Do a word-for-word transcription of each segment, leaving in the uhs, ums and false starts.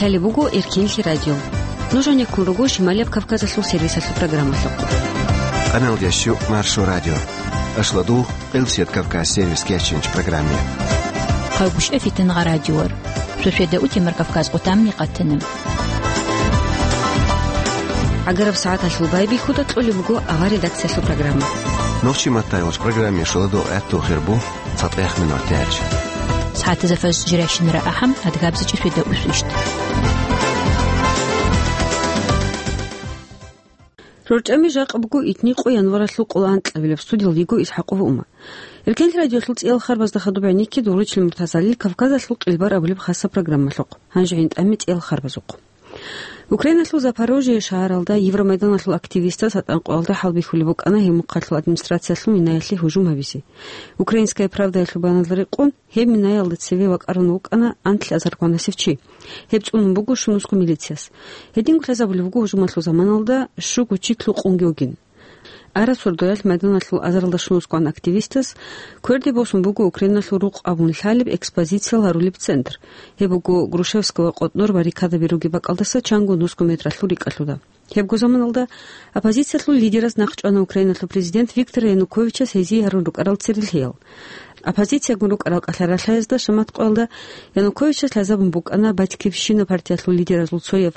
Лъалеб буго Эркенлъи радио. Нуж гьанеккун руго Шималияб Кавказалъул сервисалъул программалъухъ. Къаналдящу Маршо радио. Ашладу, Къилсият Кавказ сервис кечинч программе. Хъавгушев Фитнагъа радиор. Сосведа утемар Кавказ къутамни къатана. ГӀагараб сагӀаталъул байбихьуда кьолеб буго авар редакциялъул программа. Нохчи маттайолч программе шуладо гӀатту хирбу. Цатаяхъ минор тяч. СагӀатазда фаз жиращинара ахӀам, адгабзичӀи светда усвищт. РорчӀами жакъа буго итни къо январалъул къоло анкьабилаб, студиялда йиго ИсхӀакъова Ума. Эркенлъи радиолъул цӀиял харбазда хадуб гӀенекке дуручил муртазалил Кавказалъул къилбар абулеб хаса программалъухъ. Гьанже гӀинтӀами цӀиял харбазухъ. Украиналъул Запорожье шагьаралда Евромайданалъул активистас гьатӀан къоялда хӀалбихьулеб букӀана гьеб мухъалъул администрациялъул минаялъе гьужум гьабизе. «Украинская правдаялъул» баяналда рекъон, гьеб минаялда цеве вакӀарун вукӀана анлъи азаргванасев чи. Гьеб цӀунун буго щунусго милицияс. Гьединго лъазабулеб буго гьужумалъул заманалда щуго чи лъукъунги вугин. Араб сордоялъ майданалъул азаралда щунусгоан активистас кверде босун буго Украиналъул рукъ абун лъалеб экспозициял гьарулеб центр. Гьеб буго Грушевского къотӀнор баррикадаби ругеб бакӀалдаса чанго нусго метралъул рикӀкӀалъуда. Гьебго заманалда оппозициялъул лидераз нахъчӀвана Украиналъул президент Виктор Януковичас гьезие гьарун рукӀарал церелъиял. Оппозициягун рукӀарал кӀалъаралъаязда шамат къоялда Януковичас лъазабун букӀана «Батькивщина» партиялъул лидеразул цояв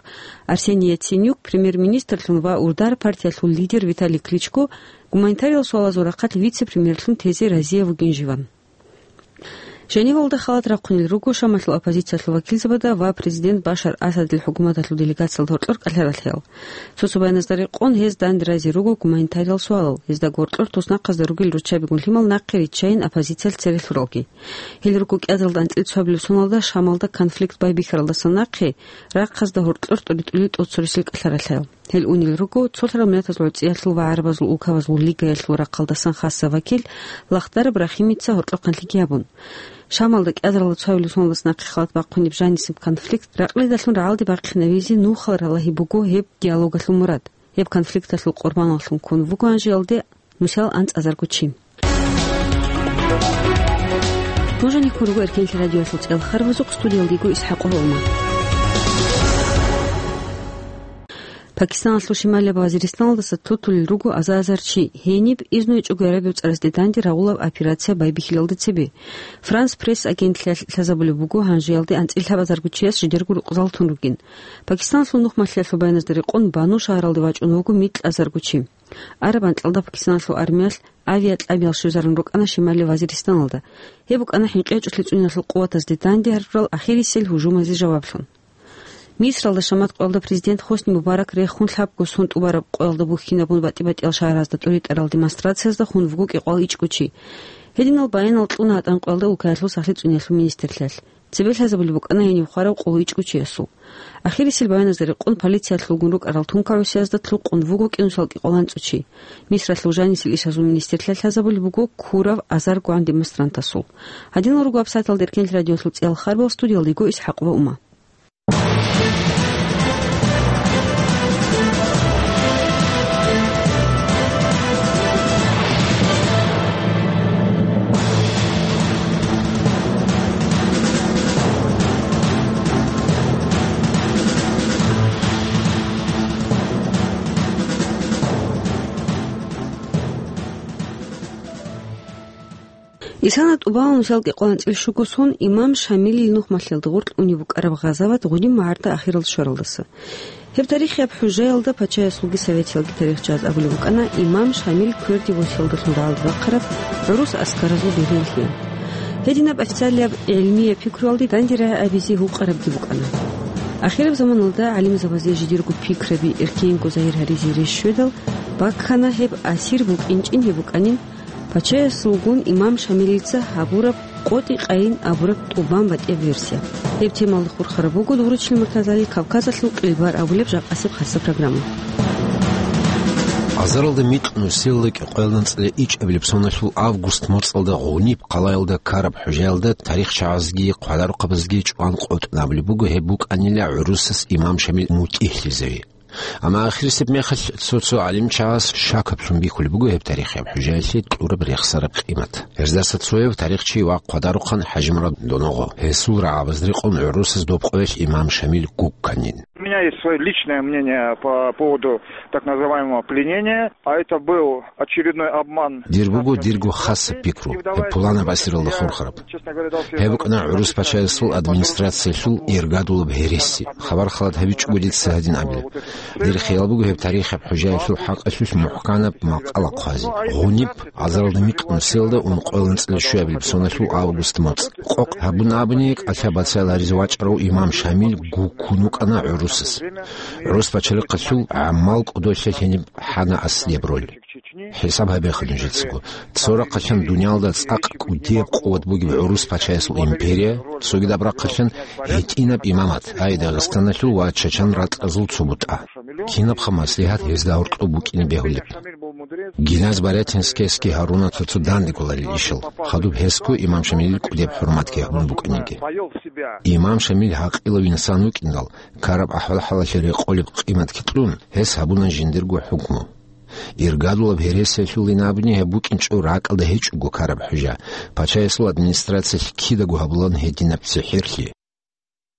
Арсений Яценюк премьер-министрлъун ва «Удар» партиялъул лидер Виталий Кличко гуманитариялъул суалазул рахъалъ вице-премьерлъун тезе разияб вугин живан. Женевалда халат рахъунел руго Шамалъул оппозициялъул вакилзабазда ва президент Башар Асадил хӀукуматалъул делегациялда гьоркьор кӀалъаралъиял. Цо-цо баяназда рекъон, гьез данде рази руго гуманитариялъул суалал, гьезда гьоркьор туснахъазда ругел руччабигун лъимал нахъе риччайин оппозициялъ цере лъуралги. Гьел руго кӀиазаралда анцӀила цоабилеб соналда Шамалда конфликт байбихьаралдаса нахъе рахъазда гьоркьор тӀуритӀулел тӀоцересел кӀалъаралъаял. Гьел унел руго цолъарал миллатазул гӀуцӀиялъул ва гӀарабазул улкабазул лигаялъул рахъалдасан хасаб вакил Лахдараб Рахимица гьоркьохъанлъиги гьабун. Шамалда кӀиазаралда цоабилеб соналдаса нахъе халат бахъунеб жанисеб конфликт ракълидалъун рагӀалде бахъинавизе нухал ралагьи буго гьеб диалогалъул мурад. Гьеб конфликталъул къурбаналлъун ккун вуго гьанжеялде нусал анцӀазарго чи. Нуж гьанеккун руго Эркенлъи радиоялъул цӀиял харбазухъ, студиялда йиго ИсхӀакъова Ума. Пакистаналъул шималияб Вазиристаналдаса тутулел руго аза-азар чи, гьениб изну гьечӀого гӀерабив цӀарасде данде рагъулаб операция байбихьилалда цебе. Франс Пресс агентлъиялъ лъазабулеб буго, гьанжеялде анцӀила лъабазарго чияс жидерго рукъзал тун ругин. Пакистаналъул нухмалъиялъул баяназда рекъон, Бану шагьаралде вачӀун вуго микьазарго чи. Араб анкьалда Пакистаналъул армиялъ авиакьабиял щвезарун рукӀана шималияб Вазиристаналда. Гьеб букӀана хӀинкъи гьечӀолъи цӀуниялъул къуватазде данде гьарурал ахирисел гьужумазе жаваблъун. Мисралда шамат къоялда президент Хосни Мубарак рехун лъабго сон тӀубараб къоялда бухьинабун батӀи-батӀиял шагьаразда тӀуритӀарал демонстрациязда хун вуго кӀикъоялда ичӀго чи. Гьединал баянал кьуна гьатӀан къоялда улкаялъул сахлъи цӀуниялъул министрлъиялъ. Цебе лъазабулеб букӀана гьениб хварав къоло ичӀго чиясул. Ахирисел баяназда рекъон полициялъулгун рукӀарал тункагӀусиязда лъукъун вуго кӀинусал кӀикъоялда анцӀго чи. Мисралъул жанисел ишазул министрлъиялъ лъазабулеб буго ккурав азаргогӀан демонстрантасул. Гьадинал руго гьабсагӀаталда Эркенлъи радиоялъул цӀиял харбал, студиялда йиго ИсхӀакъова Ума. Исана тӀубалан нусал кӀикъоялда анцӀила щуго сон имам Шамилил нухмалъиялда гъоркь унеб букӀараб гъазават гъудин магӀарда ахиралде щваралдаса. Гьеб тарихияб хӀужаялда пачаясулги советиялги тарихчияз абулеб букӀана имам Шамил кверде босиялдалъун рагӀалде бахъараб гӀурус аскаразул бегьуллъиялъ. Гьединаб официалияб гӀилмияб пикруялде данде рагӀи абизе гьукъарабги букӀана. Ахираб заманалда гӀалимзабазе жидерго пикраби эркенго загьир гьаризе рес щведал, баккана гьеб асир букӀинчӀин гьеб букӀанин, пачаясулгун имам Шамилица гьабураб къотӀи-къайин абураб тӀубан батӀияб версия. Гьеб темалда хурхараб буго Дуручил Муртазали Кавказалъул къилбар абулеб жакъасеб хаса программа. Азаралда микь нусилла кӀикъоялда анцӀила ичӀабилеб соналъул август моцӀалда Гъуниб хъалаялда ккараб хӀужаялда тарихчагӀазги хъвадарухъабазги чӀван къотӀун абулеб буго гьеб букӀанила гӀурусас имам Шамил мутӀигьлъизави. Амма ахирисеб мехалъ цо-цо гӀалимчагӀаз шакаблъун бихьулеб буго гьеб тарихияб хӀужаялъе кьураб рехсараб къимат. Гьездаса цояв тарихчи ва хъвадарухъан ХӀажимурад Доногъо. Гьесул рагӀабаз рекъон гӀурусаз доб къоялъ имам Шамил гукканин. У меня есть своё личное мнение по поводу так называемого пленения, а это был очередной обман. Дир буго дирго хасаб пикру, гьеб пуланаб асиралда хурхараб. Гьеб букӀана гӀурус пачаясул администрациялъул иргадулаб гьереси. Хабар халат гьабичӀого дица гьадин абила. Дир хиял буго гьеб тарихаб хӀужаялъул хӀакъалъулъ мухӀканаб макъала хъвазе. Гъуниб, азаралда микь нусиялда ункъоялда анцӀила щуабилеб соналъул август моцӀ. Къокъ гьабун абуни, кӀалъа бацайил гьаризе вачӀарав имам Шамил гуккун вукӀана гӀурусаз. ГӀурус пачалихъалъул гӀамал кӀодолъа гьениб хӀана аслияб роль. ХӀисаб гьабеха нужецаго. Цо рахъалъан дуниялда цӀакъ кӀудияб къуват бугеб гӀурус пачаясул империя, цогидаб рахъалъан гьитӀинаб имамат, ай Дагъистаналъул ва Чачан ратӀазул цо бутӀа. Кинабха маслигьат гьезда гьоркьоб букӀине бегьулеб? Гиназ Барятинскиясги гьаруна цо-цо данде кколарел ишал, хадуб гьесго имам Шамилил кӀудияб хӀурматги гьабун букӀаниги. Имам Шамил гьакъилав инсан вукӀиндал, ккараб ахӀвал-хӀалалъе рекъолеб къиматги кьун, гьес гьабуна жиндирго хӀукму. Иргадулаб гьересиялъулин абуни гьеб букӀинчӀо ракӀалда гьечӀого ккараб хӀужа, пачаясул администрациялъ кидаго гьабулан гьединаб цихӀерлъи.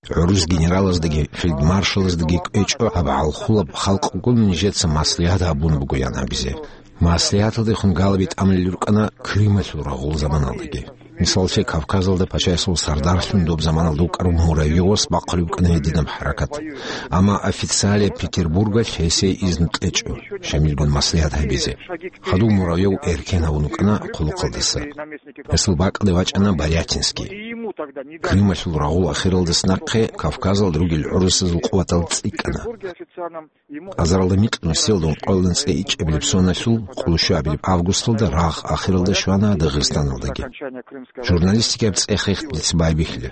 ГӀурус генералаздаги фельдмаршалаздаги кӀвечӀо гьаб гӀалхулаб халкъгун нижеца маслигьат гьабун бугоян абизе. Маслигьаталдехун галаби тӀамулел рукӀана Крымалъул рагъул заманалдаги. Мисаллъе, Кавказалда пачаясул сардарлъун доб заманалда вукӀарав Муравьевас бахъулеб букӀана гьединаб хӀаракат. Амма официалияб Петербургалъ гьесие изну кьечӀо Шамилгун маслигьат гьабизе. Хадув Муравьев эркен гьавун вукӀана хъулухъалдаса. Гьесул бакӀалде вачӀана Барятинский. Крымалъул рагъул ахиралдаса нахъе Кавказалда ругел гӀурусазул къуватал цӀикӀкӀана. Азаралда микь нусиялда ункъоялда анцӀила ичӀабилеб соналъул къоло щуабилеб августалда рагъ ахиралда щвана Дагъистаналдаги. Журналистикаяб цӀех-хехги дица байбихьила.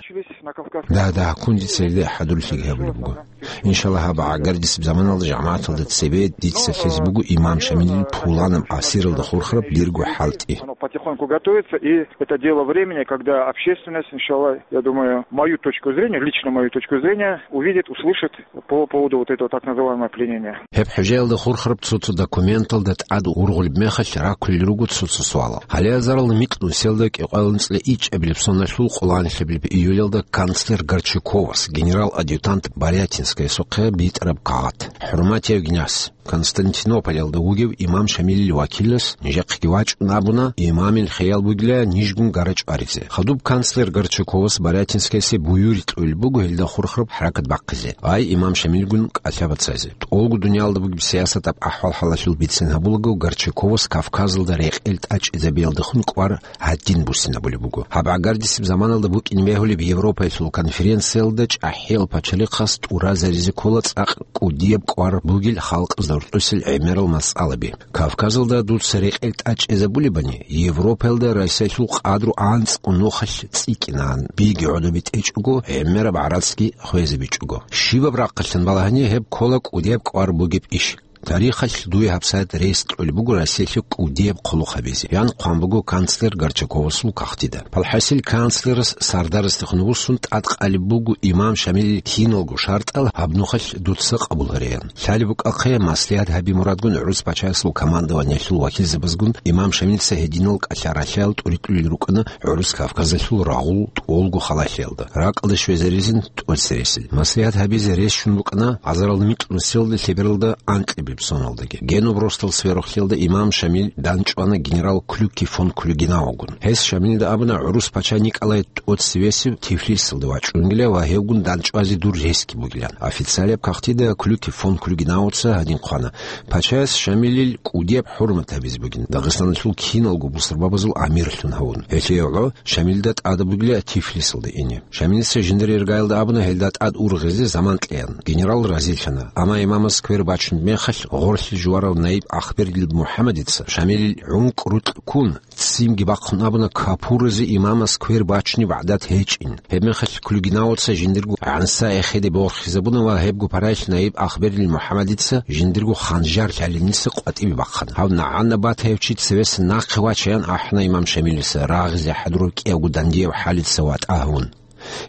Дагь-дагьккун дица гьелда хӀадурлъиги гьабулеб буго. Иншаллагь, гьаб гӀагардисеб заманалда жамагӀаталда цебе дица лъезе буго имам Шамилил пуланаб асиралда хурхараб дирго хӀалтӀи. Оно потихоньку готовится, и это дело времени, когда общественность, иншаллах, я думаю, мою точку зрения, лично мою точку зрения, увидит, услышит по поводу вот этого так называемого пленения. Гьеб хӀужаялда хурхараб цо-цо документалда тӀад ургъулеб мехалъ раккулел руго цо-цо суалал. Гьале азаралда микь нусиялда кӀикъоялда анцӀила ичӀабилеб соналъул къоло анлъабилеб июлялда канцлер Горчаковас генерал-адъютант Барятинскаясухъе битӀараб кагъат. ХӀурматияв гинас. Константинополалда вугев имам Шамилил вакилас нижехъеги вачӀун абуна, имамил хиял бугила нижгун гара чӀваризе. Хадуб канцлер Горчаковас Барятинскиясе буюрги кьулеб буго гьелда хурхараб хӀаракат бахъизе, ай имам Шамилгун кӀалъа бацазе. ТӀолго дуниялда бугеб сиясатаб ахӀвал-хӀалалъул бицен гьабулаго, Горчаковас Кавказалда рекъел тӀачӀизабиялдехун кӀвар гьадин буссинабулеб буго. Гьаб гӀагардисеб заманалда букӀине бегьулеб Европаялъул конференциялда чӀахӀиял пачалихъас тӀуразаризе ккола цӀакъ кӀудияб кӀвар бугел халкъазда руртӀусел гӀемерал масъалаби. Кавказалда дуца рекъел тӀачӀизабулебани, Европаялда Россиялъул къадру анцӀго нухалъ цӀикӀкӀинан, биги гӀодобе тӀечӀого, гӀемераб гӀарацги хвезабичӀого. Щибаб рахъалъан балагьани, гьеб ккола кӀудияб кӀвар бугеб иш. Тарихалъ дуе гьабсагӀат рес кьолеб буго Россиялъе кӀудияб хъулухъ гьабизе, ян хъван буго канцлер Горчаковасул кагътида. Палхасил канцлерас сардарасдехун вуссун тӀадкъалеб буго имам Шамилил киналго шартӀал гьаб нухалъ дуца къабул гьараян. Лъалеб букӀахъе, маслигьат гьаби мурадгун гӀурус пачаясул командованиялъул вакилзабазгун имам Шамилца гьединал кӀалъа-ралъаял тӀуритӀулел рукӀана ГӀурус Кавказалъул рагъул тӀолго халалъиялда, ракӀалде щвезаризин тӀоцересел. Маслигьат гьабизе рес щун букӀана азарал микь нусиялда лъебералда анкьабилеб соналдаги. Генуб росдал сверухълъиялда имам Шамил данчӀвана генерал Клюки фон Клюгенаугун. Гьес Шамилда абуна гӀурус пача Николай тӀоцевесев Тифлисалде вачӀунгила ва гьевгун данчӀвазе дур ресги бугилан. Официалияб кагътида Клюки фон Клюгенауца гьадин хъвана: пачаяс Шамилил кӀудияб хӀурмат гьабизе бугин. Дагъистаналъул киналго бусурбабазул амирлъун гьавун. Гьелъие гӀо Шамилда тӀада бугила Тифлисалда ине. Шамилица жиндир иргаялда абуна гьелда тӀад ургъизе заман кьеян. Генерал разилъана, амма имамас квер бачунеб мехалъ гъорлъе жуварав наиб Ахбердил МухӀаммадица Шамилил гӀункӀ-рутӀкӀун, ццинги бахъун абуна капуразе имамас квер бачунеб гӀадат гьечӀин. Гьебмехалъ Клюгенауца жиндирго гӀанса эхеде борхизабуна ва гьебго параялъ наиб Ахбердил МухӀаммадица жиндирго ханжар лъалиниса къватӀибе бахъана. Гьав нагӀана батаев чи цевеса нахъе вачаян ахӀана имам Шамилиса, рагъизе хӀадурав кӀиявго дандияв хӀалица ватӀа гьавун.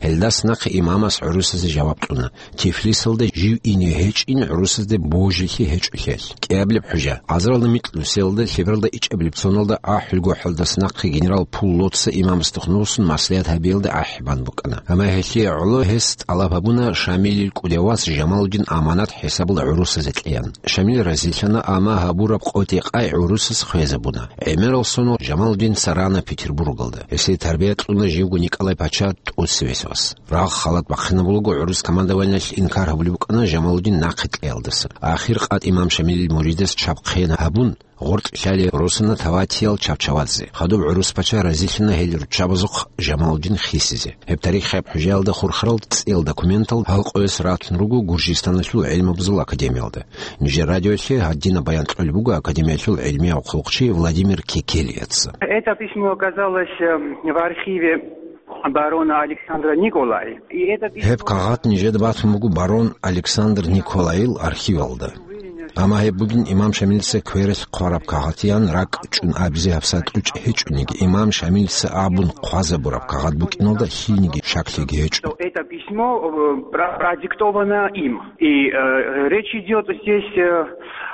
Гьелдаса нахъе имамас гӀурусазе жаваб кьуна, Тифлисалда жив ине гьечӀин гӀурусазде божилъи гьечӀолъиялъ. КӀиабилеб хӀужа, азаралда микьнусиялда лъебералда ичӀабилеб соналда ахӀулго хӀалдаса нахъе генерал Пуллоца имамасдехун вуссун маслигьат гьабиялда ахӀи бан букӀана. Амма гьелъие гӀоло гьес тӀалаб гьабуна Шамилил кӀудияв вас Жамалудин аманат хӀисабалда гӀурусазе кьеян. Шамил разилъана, амма гьабураб къотӀи-къай гӀурусаз хвезабуна. ГӀемерал соналъ Жамалудин царана Петербургалда. Гьесие тарбия кьуна живго Николай-пача ТӀоцевесев вас. Рагъ-халат бахъинабулаго гӀурус командованиялъ инкар гьабулеб букӀана Жамалудин нахъе кьеялдаса. Ахир къатӀи имам Шамилил муридас чаб хъен гьабун, гъоркь лъалеб росана Таватиял Чавчавадзе. Хадуб гӀурус пача разилъана гьел руччабазухъ Жамалудин хисизе. Гьеб тарихияб хӀужаялда хурхарал цӀиял документал гьал къоялъ ратун руго Гуржистаналъул гӀилмабазул академиялда. Нижер радиоялъе гьадинаб баян кьолеб буго академиялъул гӀилмияв хъулухъчи Владимир Кекелияца. Это письмо оказалось, э, в архиве барона Александра Николай. И это письмо... Гьеб кагъат нижеда батун буго барон Александр Николайил архивалда. Амма гьеб бугин имам Шамилица квералъ хъвараб кагъатиян ракӀ чӀун абизе гьабсагӀат кьучӀ гьечӀониги, имам Шамилица абун хъвазабураб кагъат букӀиналда лъилниги шаклъиги гьечӀо. Что это письмо, э, про-, продиктовано им. И, э, речь идёт здесь, э,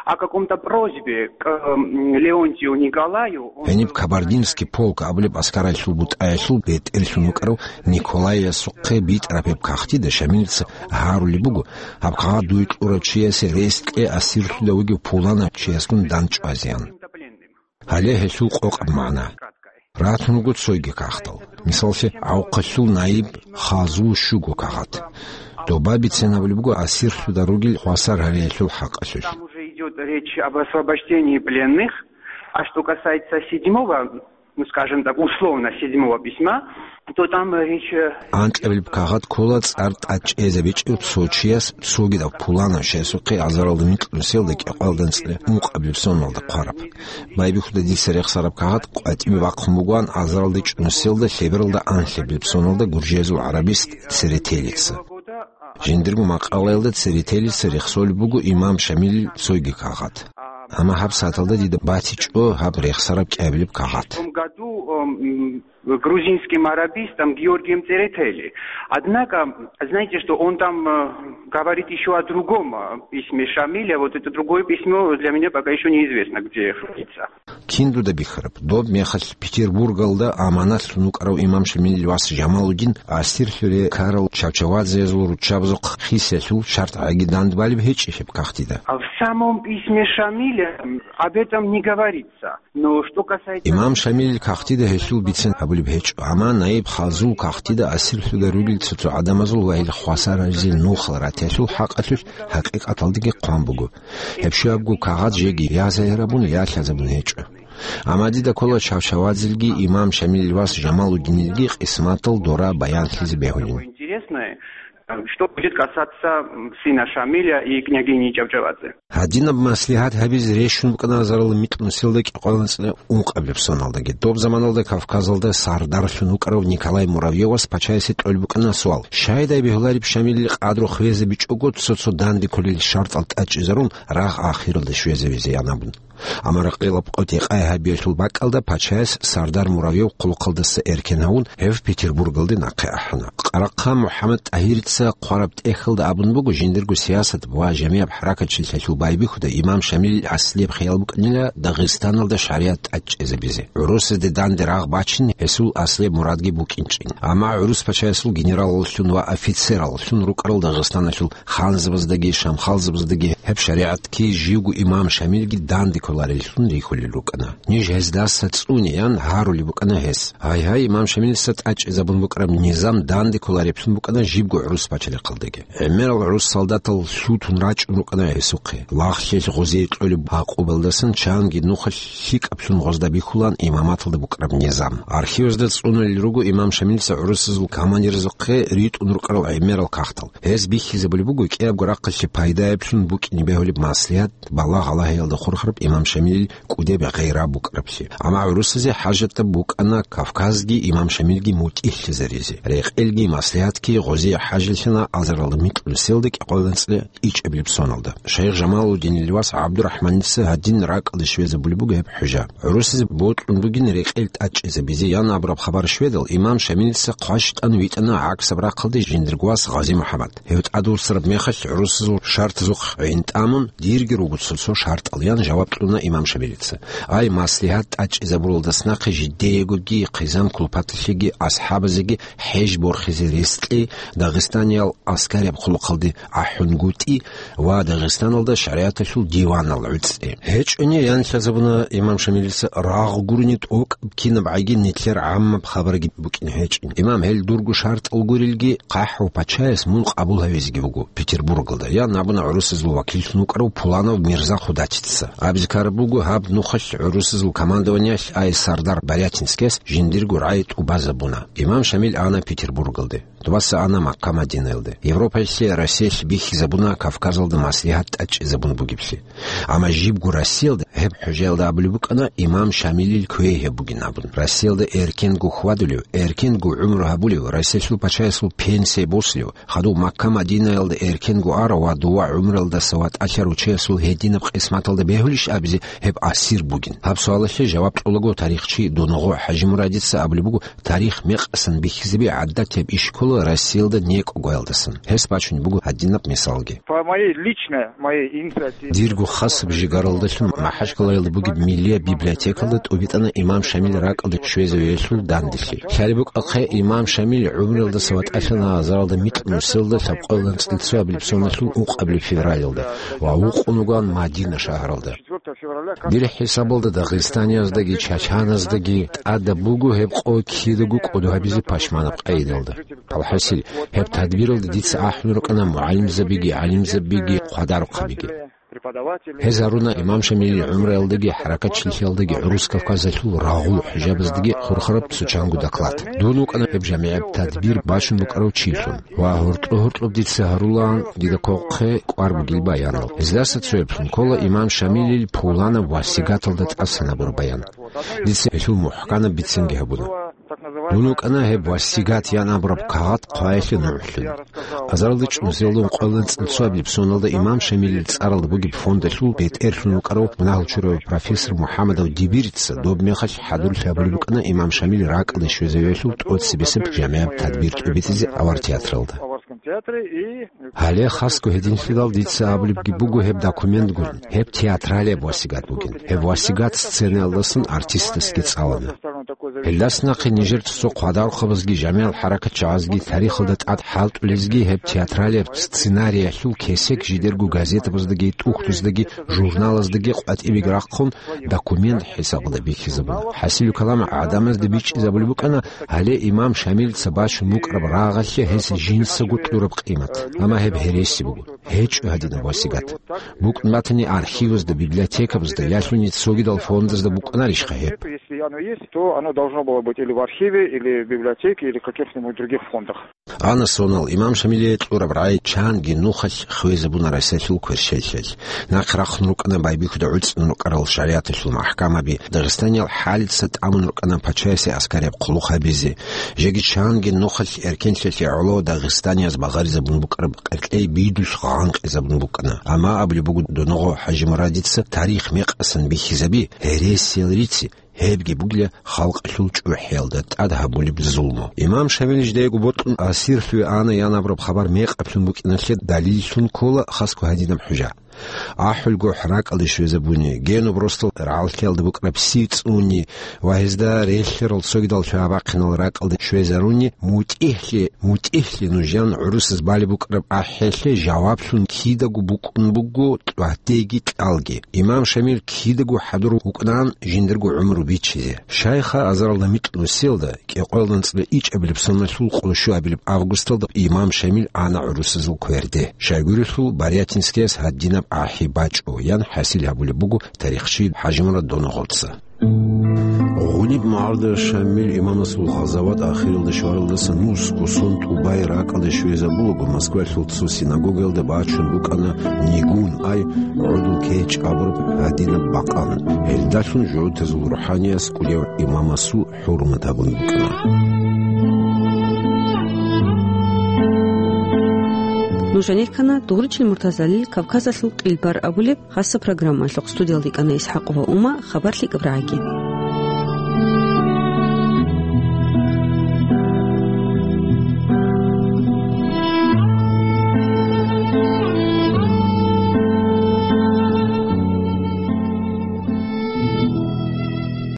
о каком-то просьбе к, м, Леонтию Николаю. Он... Гьениб Кабардинский полк абулеб аскаралъул бутӀаялъул бетӀерлъун вукӀарав Николайясухъе битӀараб гьеб кагътида Шамилица гьарулеб буго, гьаб кагъат дуе кьурав чиясе рес кье асирлъуда вугев пуланав чиясгун дандчӀвазеян. Гьале гьелъул къокъаб магӀна. Ратун руго цойги кагътал. Мисаллъе, гӀавхъалъул наиб Хазул щуго кагъат. Доба бицен гьабулеб буго асирлъуда ругел хвасар гьариялъул хӀакъалъулъ. Там уже идёт речь об освобождении пленных. А что касается седьмого, ну, скажем так, условно, седьмого письма, то там речь, э... Анкьабилеб кагъат ккола цӀар тӀад чӀезабичӀев цо чияс цогидаб пуланав чиясухъе азаралда микьнусиялда кӀикъоялда анцӀила ункъабилеб соналда хъвараб. Байбихьуда дица рехсараб кагъат къватӀибе бахъун бугоан азаралда чӀунусиялда лъебералда анлъабилеб соналда гуржиязул гӀарабист Церетелица. Жиндирго макъалаялда Церетелица рехсолеб буго имам Шамилил цойги кагъат. Амма гьаб сагӀаталда дида батичӀо гьаб рехсараб кӀиабилеб кагъат. В том году, эм, грузинским арабистом Георгием Церетели. Однако, знаете что, он там, э, говорит ещё о другом, э, письме Шамиля. Вот это другое письмо для меня пока ещё неизвестно, где хранится. Кин дуда бихьараб, доб мехалъ Петербургалда аманатлъун вукӀарав имам Шамилил вас Жамалудин асирлъуре ккарал Чавчавадзеязул руччабазухъ хисиялъул шартӀ гӀаги дандбалеб гьечӀищ гьеб кагътида? А в самом письме Шамиля об этом не говорится. Но что касается... Имам Шамилил кагътида гьелъул бицен гьабулеб гьечӀо, амма наиб Хазул кагътида асирлъуда ругел цо-цо гӀадамазул ва гьел хвасар гьаризел нухал ратиялъул хӀакъалъулъ хӀакъикъаталдаги хъван буго. Гьеб щуябго кагъат жеги я загьирабун, я лъазабун гьечӀо. Амма дида ккола Чавчавадзелги имам Шамилил вас Жамалудинилги къисматал дора баянлъизе бегьулин. Интересное, э, что будет касаться, м, сына Шамиля и княгини Чавчавадзе. Гьадинаб маслигьат гьабизе рещун букӀана азаралда микьнусиялда кӀикъоялда анцӀила ункъабилеб соналдаги. Доб заманалда Кавказалда сардарлъун вукӀарав Николай Муравьевас пачаясе кьолеб букӀана суал: щайдай бегьулареб Шамилил къадру хвезабичӀого цо-цо данде кколел шартӀал тӀадчӀезарун рагъ ахиралде щвезавизеян абун? Амма ракъилаб къотӀи-къай гьабиялъул бакӀалда пачаяс сардар Муравьев хъулухъалдаса эркен гьавун, гьев Петербургалде нахъе ахӀана. Къарахъа МухӀаммад ТӀагьирица хъвараб тӀехьалда абун буго, жиндирго сиясат ва жамияб хӀаракатчилъалъул байбихьуда имам Шамилил аслияб хиял букӀанила Дагъистаналда шаригӀат тӀадчӀезабизе. ГӀурусазде данде рагъ бачин гьесул аслияб мурадги букӀинчӀин. Амма гӀурус пачаясул генералаллъун ва офицераллъун рукӀарал Дагъистаналъул ханзабаздаги шамхалзабаздаги гьеб шаригӀатги живго имам Шамилги данде кколареллъун рихьулел рукӀана. Ниж гьездаса цӀуне, ян гьарулеб букӀана гьес. Гьайгьай, имам Шамилица тӀадчӀезабун букӀараб низам данде кколареблъун букӀана жибго гӀурус пачалихъалдаги. ГӀемерал гӀурус солдатал лъутун рачӀун рукӀана гьесухъе. Лагълъи гъозие кьолеб гӀакъубалдасан чанги нухалъ лъикӀаблъун гъозда бихьулаан имаматалда букӀараб низам. Архивазда цӀунулел руго имам Шамилица гӀурусазул командирзухъе ритӀун рукӀарал гӀемерал кагътал. Гьез бихьизабулеб буго кӀиябго рахъалъе пайдаялъун букӀине бегьулеб маслигьат, балагь Аллагьиялда хурхараб имам имам Шамилил кӀудеб гъира букӀараблъи. Амма гӀурусазе хӀажатаб букӀана Кавказги имам Шамилги мутӀигьлъизаризе. Рекъелги маслигьатги гъозие хӀажилъана азаралда микьнусиялда кӀикъоялда анцӀила ичӀабилеб соналда. Шайх Жамалуддинил вас ГӀабдурахӀманица гьадин ракӀалде щвезабулеб буго гьеб хӀужа. ГӀурусазе бокьун бугин рекъел тӀадчӀезабизе ян абураб хабар щведал, имам Шамилица хъващтӀан витӀана гӀаксаб рахъалде жиндирго вас Гъази МухӀаммад. Гьев тӀадвуссараб мехалъ гӀурусазул шартазухъ гӀин тӀамун, дирги руго цо-цо шартӀал, ян жаваб кьуна имам Шамилица. Ай, маслигьат тӀадчӀезабуралдас нахъе жидеегоги, хъизан-кулпаталъеги, асхӀабазеги хӀеж борхизе рес кье, дагъистаниял аскарияб хъулухъалде ахӀунгутӀи ва Дагъистаналда шаригӀаталъул диванал гӀуцӀи. ГьечӀони, ян лъазабуна имам Шамилица, рагъ гурони тӀокӀаб кинаб гӀайги нилъер гӀаммаб хабарги букӀине гьечӀин. Имам, гьел дурго шартӀал гурелги, хъахӀав пачаяс мун къабул гьавизеги вуго Петербургалда, ян абуна гӀурусазул вакиллъун вукӀарав Пуланов Мирза Худатица. Абизе ккараб буго, гьаб нухалъ гӀурусазул командованиялъ ай сардар Барятинскияс жиндирго рагӀи тӀубазабуна. Имам Шамил ана Петербургалде. Дубаса ана Макка-Мадинаялде. Европаялъе, Россиялъе бихьизабуна Кавказалда маслигьат тӀадчӀезабун бугеблъи. Амма жибго Россиялда гьеб хӀужаялда абулеб букӀана имам Шамилил квей гьеб бугин абун. Россиялда эркенго хьвадулев, эркенго гӀумру гьабулев, Россиялъул пачаясул пенсия босулев, хадув Макка-Мадинаялда эркенго арав ва дова гӀумруялдаса ватӀалъарав чиясул гьединаб къисматалда бегьулищ абизе гьеб асир бугин? Гьаб суалалъе жаваб кьолаго тарихчи Доного ХӀажимурадица абулеб буго, тарих мекъасан бихьизаби гӀадатияб иш ккола Россиялда некӀогоялдасан. Гьес бачун буго гьадинаб мисалги. По моей личной, моей инициативе. Дирго хасаб жигаралдалъун МахӀачкъалаялда бугеб миллияб библиотекалда тӀубитӀана имам Шамил ракӀалде щвезавиялъул данделъи. Лъалеб букӀахъе, имам Шамил гӀумруялдаса ватӀалъана азаралда микьнусиялда лъабкъоялда анцӀила цоабилеб соналъул ункъабилеб февралалда ва вукъун вугоан Мадина шагьаралда. Дир хӀисабалда дагъистанияздаги чачаназдаги тӀадаб буго гьеб къо кидаго кӀодо гьабизе пашманаб къайдалда. Алхасил, гьеб тадбиралда дица ахӀун рукӀана мугӀалимзабиги, гӀалимзабиги, хъвадарухъабиги. Гьез гьаруна имам Шамилил гӀумруялдаги хӀаракатчилъиялдаги гӀурус Кавказалъул рагъул хӀужабаздаги хурхараб цочанго доклад. Дун вукӀана гьеб жамигӀаб тадбир бачун букӀарав чилъун. Ва гьоркьо-гьоркьоб дица гьарулаан дида квахъе кӀвар бугил баянал. Гьездаса цояблъун ккола имам Шамилил Пуланаб васигаталда тӀасан гьабураб баян. Дица гьелъул мухӀканаб бицинги гьабуна. Дун вукӀана гьеб васигат ян абураб кагъат хъваялъе нугӀлъун. Азаралда чӀунусиялда ункъоялда анцӀила цоабилеб соналда имам Шамилил цӀаралда бугеб фондалъул бетӀерлъун вукӀарав мунагьал чурав профессор МухӀаммадов Дибирица доб мехалъ хӀадурлъи гьабулеб букӀана имам Шамил ракӀалде щвезавиялъул тӀоцебесеб жамигӀаб тадбир тӀубитӀизе авар театралда. Гьале хасго гьединлъидал дица абулебги буго гьеб документ гурин, гьеб театралияб васигат бугин. Гьеб васигат сценаялдасан артистасги цӀалана. Гьелдас нахъе нижер цо-цо хъвадарухъабазги, жамигӀал хӀаракатчагӀазги, тарихалда тӀад хӀалтӀулезги гьеб театралияб сценариялъул кесек жидерго газетабаздаги, тӀухьдуздаги, журналаздаги къватӀибеги рахъун, документ хӀисабалда бихьизабуна. ХӀасилу калам гӀадамазда бичӀчӀизабулеб букӀана, гьале имам Шамилица бачун букӀараб рагъалъе гьес жинцаго кьураб къимат. Амма гьеб гьереси буго. ГьечӀо гьадинаб васигат. БукӀун батани архивазда, библиотекабазда, ялъуни цогидал фондазда букӀунарищха гьеб? Если оно есть, то оно должно было быть или в архиве, или в библиотеке, или в каких-нибудь других фондах. Ана сонал имам Шамилие кьураб рагӀи чанги нухалъ хвезабуна Россиялъул кверщелъиялъ. Нахъ рахъун рукӀана байбихьуда гӀуцӀун рукӀарал шаригӀаталъул махӀкамаби, Дагъистаниял хӀалица тӀамун рукӀана пачаясе аскарияб хъулухъ гьабизе. Жеги чанги нухалъ эркенлъиялъе гӀоло дагъистанияз багъаризабун букӀараб къеркьей бидулъ гъанкъизабун букӀана. Амма абулеб буго Доного ХӀажимурадица, тарих мекъасан бихьизаби, гьересиял рици, гьебги бугила халкъалъул чӀухӀиялда тӀад гьабулеб зулму. Имам Шамил жидеего бокьун асирлъуве ана ян абураб хабар мекъаблъун букӀиналъе далиллъун ккола хасго гьадинаб хӀужа. АхӀулгохӀ ракӀалде щвезабуни, Генуб росдал рагӀаллъиялда букӀараб сив цӀуни ва гьезда релълъарал цогидал лъугьа-бахъинал ракӀалде щвезаруни, мутӀигьлъи, мутӀигьлъи нуж ян гӀурусаз балеб букӀараб ахӀиялъе жаваблъун кидаго букӀун буго кьватӀеги кьалги. Имам Шамил кидаго хӀадур вукӀунаан жиндирго гӀумру бичизе. Шайха азаралда микьнусиялда, кӀикъоялда анцӀила ичӀабилеб соналъул къоло щуабилеб августалда имам Шамил ана гӀурусазул кверде. Щайгурелъул Барятинскияс гьадинаб ахӀи бачӀо, ян хӀасил гьабулеб буго тарихчи ХӀажимурад Доногъовца. Гьаниб магӀарда Шамил имамасул гъазават ахиралде щваралдаса нусго сон тӀубай ракӀалде щвезабулаго, Москвалъул цо синагогаялда бачун букӀана нигун, ай гӀодов кечӀ абураб гьадинаб бакъан. Гьелдалъун жугьутазул рухӀаниялъ кӀудияв имамасул хӀурмат гьабун букӀана. Нуж гьанир ккана Дугъричил Муртазалил «Кавказалъул къилбар» абулеб хасаб программалъухъ. Студиялда йикӀана ИсхӀакъова Ума, хабар лъикӀаб рагӀаги.